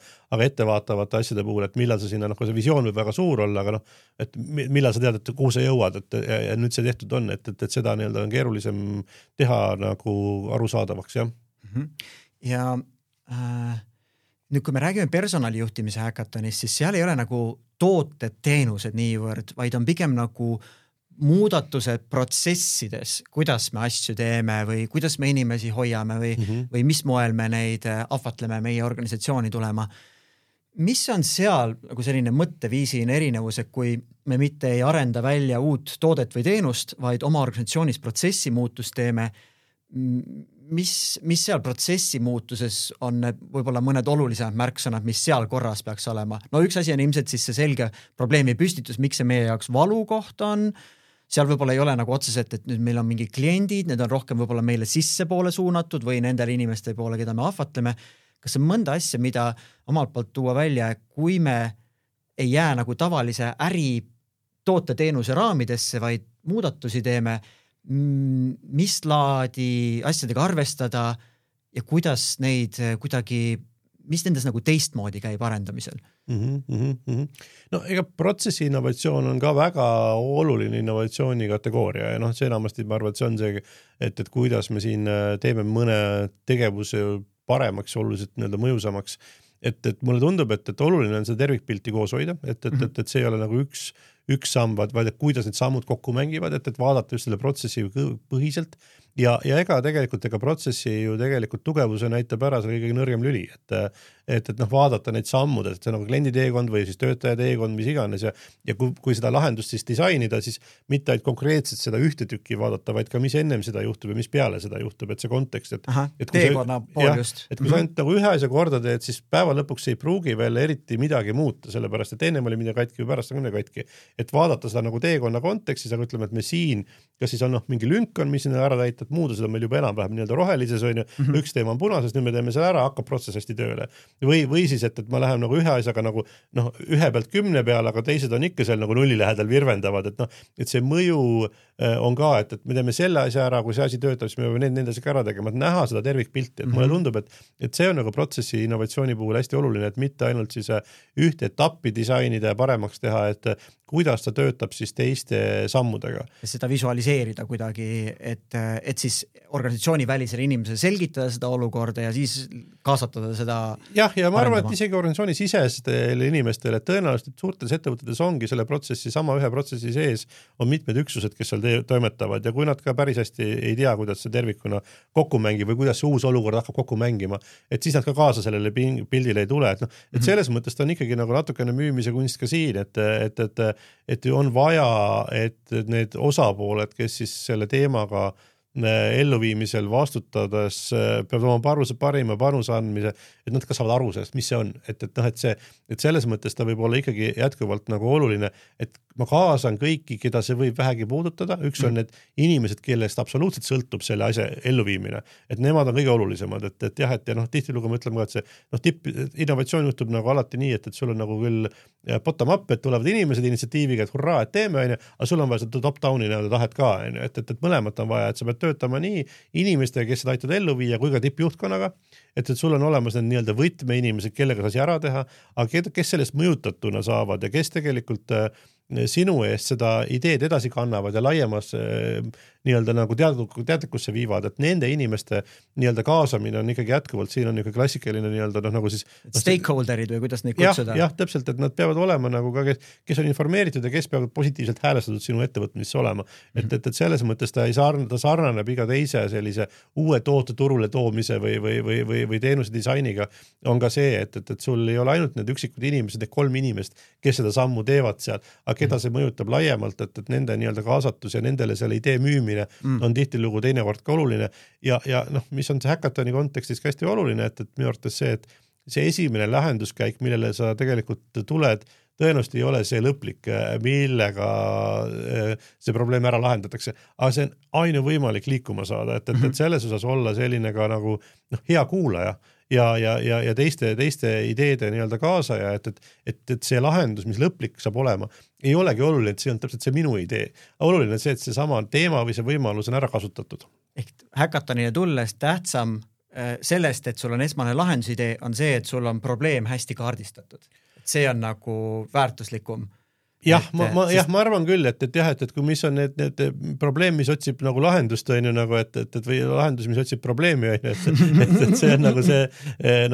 ettevaatavate asjade puhul, et millal sa sinna, see visioon võib väga suur olla, aga et millal sa tead, et kuhu sa jõuad, ja nüüd see tehtud on, et seda on keerulisem teha nagu arusaadavaks, jah. Ja nüüd, kui me räägime personalijuhtimise häkatonist, siis seal ei ole nagu tooted, teenused niivõrd, vaid on pigem nagu muudatused protsessides, kuidas me asju teeme või kuidas me inimesi hoiame või mis moel me neid ahvatleme meie organisatsiooni tulema. Mis on seal nagu selline mõtteviisiline erinevus, et kui me mitte ei arenda välja uut toodet või teenust, vaid oma organisatsioonis protsessi muutust teeme, mis seal protsessi muutuses on võib-olla mõned olulisemad märksõnad, mis seal korras peaks olema? No üks asi on ilmselt siis see selge probleemi püstitus, miks see meie jaoks valukoht on. Seal võib-olla ei ole nagu otseselt, et nüüd meil on mingi kliendid, need on rohkem võib-olla meile sissepoole suunatud või nendele inimeste poole, keda me ahvatleme. kas on mõnda asja, mida omalt poolt tuua välja, kui me ei jää nagu tavalise äri tooteteenuse raamidesse, vaid muudatusi teeme, mis laadi asjadega arvestada ja kuidas neid kuidagi, mis nendes nagu teistmoodi käib arendamisel? No ega protsessi innovatsioon on ka väga oluline innovatsiooni kategooria ja see enamasti ma arvan, et see on see, et kuidas me siin teeme mõne tegevuse paremaks, oluliselt mõjusamaks. Et mulle tundub, et oluline on seda tervikpilti koos hoida, et see ei ole nagu üks samm, vaid kuidas need sammud kokku mängivad, et vaadata just selle protsessi põhiselt ja ega tegelikult protsessi ju tegelikult tugevuse näitab ära selle kõige nõrgem lüli, et vaadata neid sammud, et see on nagu kliendi teekond või siis töötaja teekond, mis iganes ja kui seda lahendust siis disainida, siis mitte ainult konkreetselt seda ühte tükki vaadata, vaid ka mis ennem seda juhtub ja mis peale seda juhtub, et see kontekst, teekonna pool just. Et kui sa ainult nagu ühe asja korda teed, siis päeva lõpuks ei pruugi veel eriti midagi muuta, sellepärast et ennem oli midagi katki või pärast on katki. Et vaadata seda nagu teekonna kontekstis, aga ütleme, et me siin, kas siis on mingi lünk on, mis sinna ära täitad, muudu seda meil juba enam-vähem rohelises on ju, üks teema on punases, nüüd me teeme selle ära, hakkab protsess hästi tööle. Või siis, et ma lähen nagu ühe asjaga nagu ühe pealt 10 peale, aga teised on ikka seal nagu nulli lähedal virvendavad, et see mõju on ka, et me teeme selle asja ära, kui see asi töötab, siis me peame need asjad ära tegema, et näha seda tervikpilti, et mulle tundub, et see on nagu protsessi innovatsiooni puhul hästi oluline, et mitte ainult siis ühte etappi disainida ja paremaks teha, et kuidas ta töötab siis teiste sammudega. Seda visualiseerida kuidagi, et siis organisatsiooni välisele inimesele selgitada seda olukorda ja siis kaasatada seda. Ja ma arvan, et isegi organisatsiooni sisestele inimestele, et tõenäoliselt suurtes ettevõtetes ongi selle protsessi, sama ühe protsessi sees on mitmed üksused, kes seal toimetavad ja kui nad ka päris hästi ei tea, kuidas see tervikuna kokku mängib või kuidas see uus olukord hakkab kokku mängima, et siis nad ka kaasa sellele pildile ei tule, et selles mõttes ta on ikkagi nagu natukene müümise kunst ka siin, et on vaja, et need osapooled, kes siis selle teemaga elluviimisel vastutades peavad oma parima panuse andmise, et nad ka saavad aru sellest, mis see on, et selles mõttes ta võib olla ikkagi jätkuvalt nagu oluline, et ma kaasan kõiki, keda see võib vähegi puudutada, üks on need inimesed, kellest absoluutselt sõltub selle asja elluviimine, et nemad on kõige olulisemad, et jah, et tihtilugu me ütleme ka, et see innovatsioon juhtub nagu alati nii, et sul on nagu küll bottom up, et tulevad inimesed initsiatiiviga, et hurraa, et teeme, aga sul on vaja seda top-downi tahet ka, et mõlemat on vaja, et sa pead töötama nii inimestega, kes seda aitavad ellu viia, kui ka tippjuhtkonnaga, et sul on olemas need nii-öelda võtmeinimesed, kellega sa asi ära teha, aga kes sellest mõjutatuna saavad ja kes tegelikult sinu eest seda ideed edasi kannavad ja laiemas nii-öelda nagu teadlikkusse viivad, et nende inimeste nii-öelda kaasamine on ikkagi jätkuvalt, siin on ikka klassikaline nii-öelda nagu siis stakeholderid või kuidas neid kutsuda? Jah, täpselt, et nad peavad olema nagu ka, kes on informeeritud ja kes peavad positiivselt häälestatud sinu ettevõtmisse olema. Et selles mõttes ta sarnaneb iga teise sellise uue toote turule toomise või teenuse disainiga on ka see, et sul ei ole ainult need üksikud inimesed, need 3 inimest, kes seda sammu teevad seal, aga keda see mõjutab laiemalt, et nende nii-öelda kaasatus ja nendele selle idee müümine on tihtilugu teinekord ka oluline ja mis on see Hackatoni kontekstis ka hästi oluline, et minu arvates see, et see esimene lahenduskäik, millele sa tegelikult tuled, tõenäoliselt ei ole see lõplik, millega see probleem ära lahendatakse, aga see on ainuvõimalik liikuma saada, et selles osas olla selline ka nagu hea kuulaja ja teiste ideede nii-öelda kaasaja, et see lahendus, mis lõplik saab olema, ei olegi oluline, et see on täpselt see minu idee. Oluline on see, et see sama teema või see võimalus on ära kasutatud. Ehk Hackatonile tulles tähtsam sellest, et sul on esmane lahendusidee, on see, et sul on probleem hästi kaardistatud. See on nagu väärtuslikum. Ma arvan küll, et kui mis on need probleem, mis otsib nagu lahendust, on ju nagu, et või lahendus, mis otsib probleemi, on ju, et see on nagu see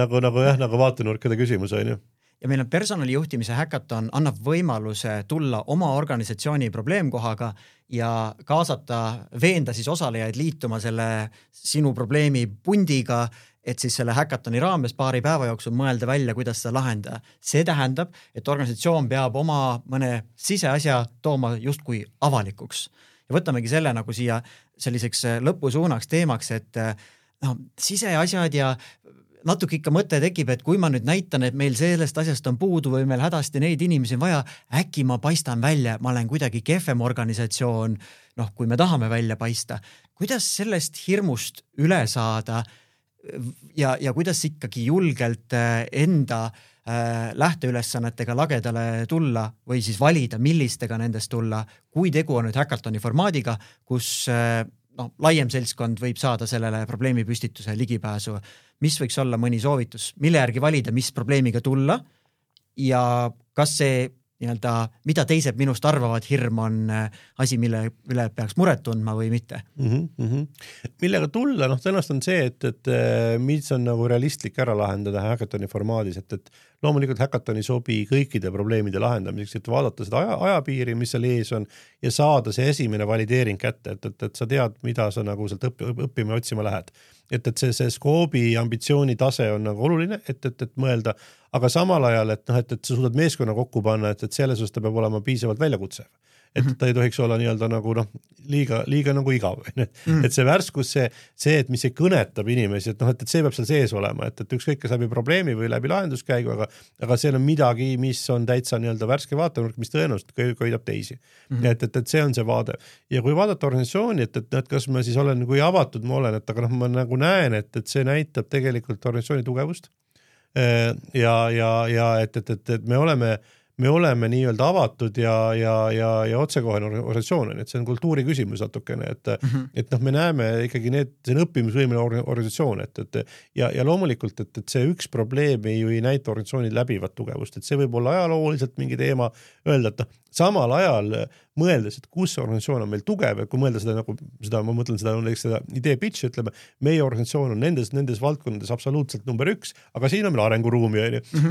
nagu vaatenurkade küsimus, on ju. Ja meil on personalijuhtimise Hackaton annab võimaluse tulla oma organisatsiooni probleemkohaga ja kaasata, veenda siis osalejaid liituma selle sinu probleemi pundiga, et siis selle Hackatoni raames paari päeva jooksul mõelda välja, kuidas seda lahendada. See tähendab, et organisatsioon peab oma mõne siseasja tooma justkui avalikuks. Ja võtamegi selle nagu siia selliseks lõpusuunaks teemaks, et siseasjad ja natuke ikka mõte tekib, et kui ma nüüd näitan, et meil sellest asjast on puudu või meil hädasti neid inimesi on vaja, äkki ma paistan välja, ma olen kuidagi kehvem organisatsioon, kui me tahame välja paista. Kuidas sellest hirmust üle saada ja kuidas ikkagi julgelt enda lähteülesannetega lagedale tulla või siis valida, millistega nendest tulla, kui tegu on nüüd Hackathoni formaadiga, kus laiem seltskond võib saada sellele probleemipüstituse ligipääsu. Mis võiks olla mõni soovitus, mille järgi valida, mis probleemiga tulla ja kas see mida teised minust arvavad, hirm on asi, mille üle peaks muret tundma või mitte. Millega tulla, tõenäoliselt on see, et mis on nagu realistlik ära lahendada Hackathoni formaadis, et loomulikult Hackathoni sobi kõikide probleemide lahendamiseks, et vaadata seda ajapiiri, mis seal ees on ja saada see esimene valideering kätte, et sa tead, mida sa nagu sealt õppima ja otsima lähed. Et see skoobi ambitsiooni tase on nagu oluline, et mõelda, aga samal ajal, et sa suudad meeskonna kokku panna, et selles osas ta peab olema piisavalt väljakutsev. Et ta ei tohiks olla nii-öelda nagu liiga nagu igav. Et see värskus, see, et mis ei kõnetab inimesi, et see peab seal sees olema, et ükskõik kas läbi probleemi või läbi lahenduskäigu, aga see on midagi, mis on täitsa nii-öelda värske vaatenurk, mis tõenäoliselt köidab teisi. Et see on see vaade. Ja kui vaadata organisatsiooni, et kas ma siis olen, kui avatud ma olen, et aga ma nagu näen, et see näitab tegelikult organisatsiooni tugevust ja et me oleme nii-öelda avatud ja otsekohene organisatsioon, et see on kultuuri küsimus natukene, et me näeme ikkagi see on õppimisvõimeline organisatsioon, ja loomulikult, et see üks probleem ju ei näita organisatsiooni läbivat tugevust, et see võib olla ajalooliselt mingi teema öelda, et samal ajal mõeldes, et kus organisatsioon on meil tugev, ja kui mõelda ma mõtlen seda idee pitch, ütleme, meie organisatsioon on nendes valdkondades absoluutselt number 1, aga siin on meil arenguruumi,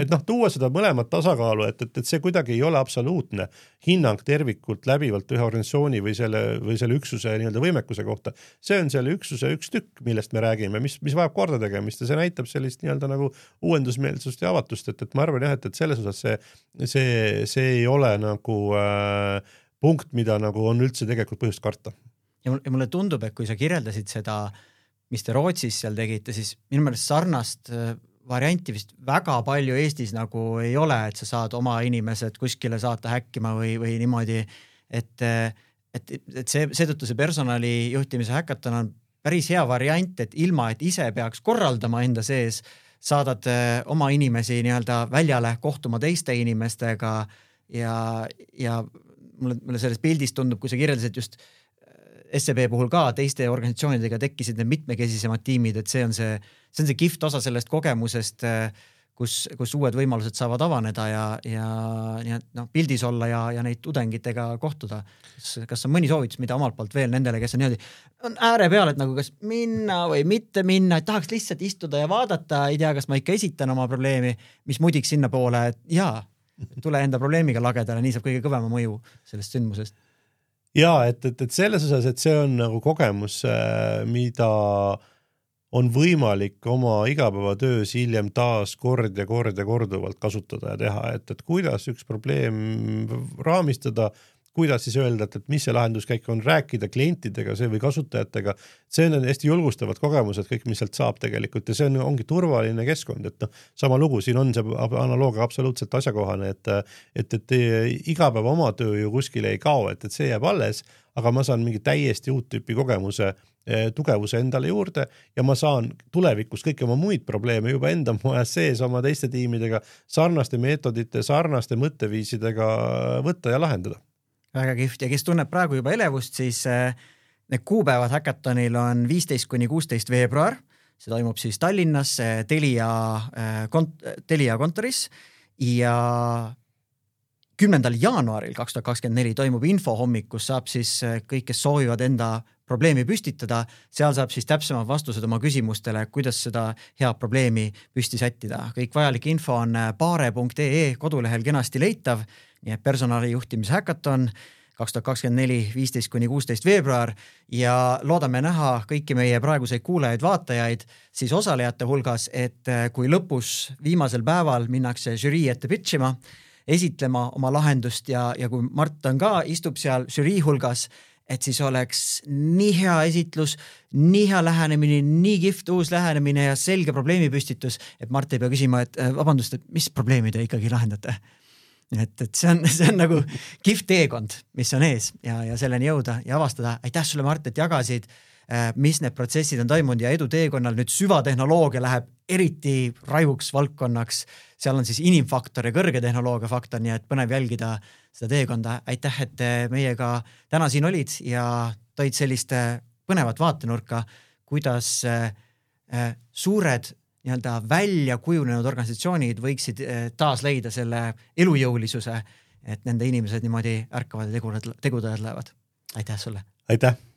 et tuua seda mõlemat tasakaalu, et see kuidagi ei ole absoluutne hinnang tervikult läbivalt ühe organisatsiooni või selle üksuse nii-öelda võimekuse kohta. See on selle üksuse üks tükk, millest me räägime, mis vajab korda tegemist ja see näitab sellist nii-öelda nagu uuendusmeelsust ja avatust, et ma arvan jah, et selles osas see ei ole nagu punkt, mida nagu on üldse tegelikult põhjust karta. Ja mulle tundub, et kui sa kirjeldasid seda, mis te Rootsis seal tegite, siis minu meelest sarnast varianti vist väga palju Eestis nagu ei ole, et sa saad oma inimesed kuskile saata häkkima või niimoodi, et seetõttu see personali juhtimise hackathon on päris hea variant, et ilma, et ise peaks korraldama enda sees, saadad oma inimesi nii-öelda väljale kohtuma teiste inimestega ja mulle selles pildis tundub, kui sa kirjeldasid just SEB puhul ka teiste organisatsioonidega tekkisid need mitmekesisemad tiimid, et see on see kihvt osa sellest kogemusest, kus uued võimalused saavad avaneda ja pildis olla ja neid tudengitega kohtuda. Kas on mõni soovitus, mida omalt poolt veel nendele, kes on niimoodi on ääre peal, et nagu kas minna või mitte minna, et tahaks lihtsalt istuda ja vaadata, ei tea, kas ma ikka esitan oma probleemi, mis mudiks sinna poole, et jaa, tule enda probleemiga lagedale, nii saab kõige kõvema mõju sellest sündmusest. Jaa, et selles osas, et see on nagu kogemus, mida on võimalik oma igapäevatöös hiljem taas kord ja korduvalt kasutada ja teha, et kuidas üks probleem raamistada, kuidas siis öelda, et mis see lahenduskäik on, rääkida klientidega või kasutajatega, see on hästi julgustavad kogemused, kõik, mis sealt saab tegelikult ja see ongi turvaline keskkond, et sama lugu, siin on see analoogia absoluutselt asjakohane, et igapäeva oma töö ju kuskile ei kao, et see jääb alles, aga ma saan mingi täiesti uut tüüpi kogemuse, tugevuse endale juurde ja ma saan tulevikus kõiki oma muid probleeme juba enda majas sees oma teiste tiimidega sarnaste meetodite, sarnaste mõtteviisidega võtta ja lahendada. Väga kihvt ja kes tunneb praegu juba elevust, siis need kuupäevad hackathonil on 15–16 veebruar. See toimub siis Tallinnas Telia kontoris ja 10. jaanuaril 2024 toimub infohommik, kus saab siis kõik, kes soovivad enda probleemi püstitada, seal saab siis täpsemad vastused oma küsimustele, kuidas seda head probleemi püsti sättida. Kõik vajalik info on paare.ee kodulehel kenasti leitav, nii et personali juhtimise hackathon 2024 15–16 veebruar ja loodame näha kõiki meie praeguseid kuulajaid, vaatajaid siis osalejate hulgas, et kui lõpus viimasel päeval minnakse žürii ette pitchima, esitlema oma lahendust ja kui Mart ka istub seal žürii hulgas, et siis oleks nii hea esitlus, nii hea lähenemine, nii kihvt uus lähenemine ja selge probleemipüstitus, et Mart ei pea küsima, et vabandust, et mis probleemi te ikkagi lahendate. Et see on nagu kihvt teekond, mis on ees ja selleni jõuda ja avastada. Aitäh sulle, Mart, et jagasid mis need protsessid on toimunud ja eduteekonnal nüüd süvatehnoloogia läheb eriti raivuks valdkonnaks. Seal on siis inimfaktor ja kõrge tehnoloogia faktor, nii et põnev jälgida seda teekonda. Aitäh, et meiega täna siin olid ja toid sellist põnevat vaatenurka, kuidas suured nii-öelda välja kujunenud organisatsioonid võiksid taas leida selle elujõulisuse, et nende inimesed niimoodi ärkavad ja tegudajad lähevad. Aitäh sulle! Aitäh!